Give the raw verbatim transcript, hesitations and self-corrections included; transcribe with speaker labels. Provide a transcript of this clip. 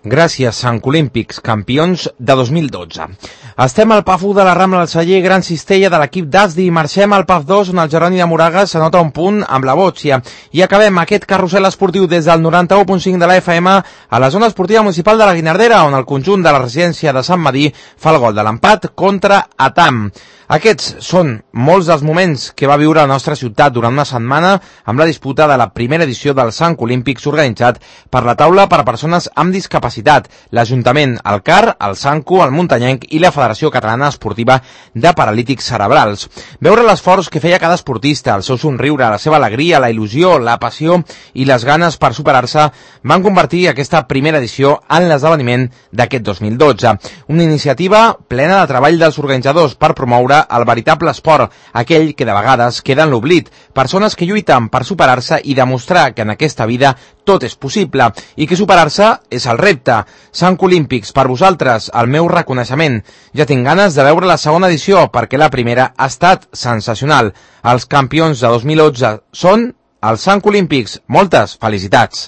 Speaker 1: Gràcies, Sant Olímpics, campions de dos mil dotze. Estem al P A F u de la Rambla del Celler, Gran Cistella de l'equip d'Asdi, i marxem al P A F dos, on el Jeroni de Moragas s'anota un punt amb la Bòtxia. I acabem aquest carrusel esportiu des del noranta-u punt cinc de la F M a la zona esportiva municipal de la Guinardera, on el conjunt de la residència de Sant Madí fa el gol de l'empat contra Atam. Aquests són molts dels moments que va viure la nostra ciutat durant una setmana amb la disputa de la primera edició dels Sant Olímpics organitzat per la taula per a persones amb discapacitat, l'Ajuntament, el C A R, el Sanco, el Muntanyenc i la Federació Catalana Esportiva de Paralítics Cerebrals. Veure l'esforç que feia cada esportista, el seu somriure, la seva alegria, la il·lusió, la passió i les ganes per superar-se van convertir aquesta primera edició en l'esdeveniment d'aquest dos mil dotze. Una iniciativa plena de treball dels organitzadors per promoure el veritable esport, aquell que de vegades queda en l'oblit, persones que lluiten per superar-se i demostrar que en aquesta vida tot és possible i que superar-se és el repte. Sant Olímpics, per vosaltres, el meu reconeixement. Ja tinc ganes de veure la segona edició perquè la primera ha estat sensacional. Els campions de dos mil onze són els Sant Olímpics. Moltes felicitats!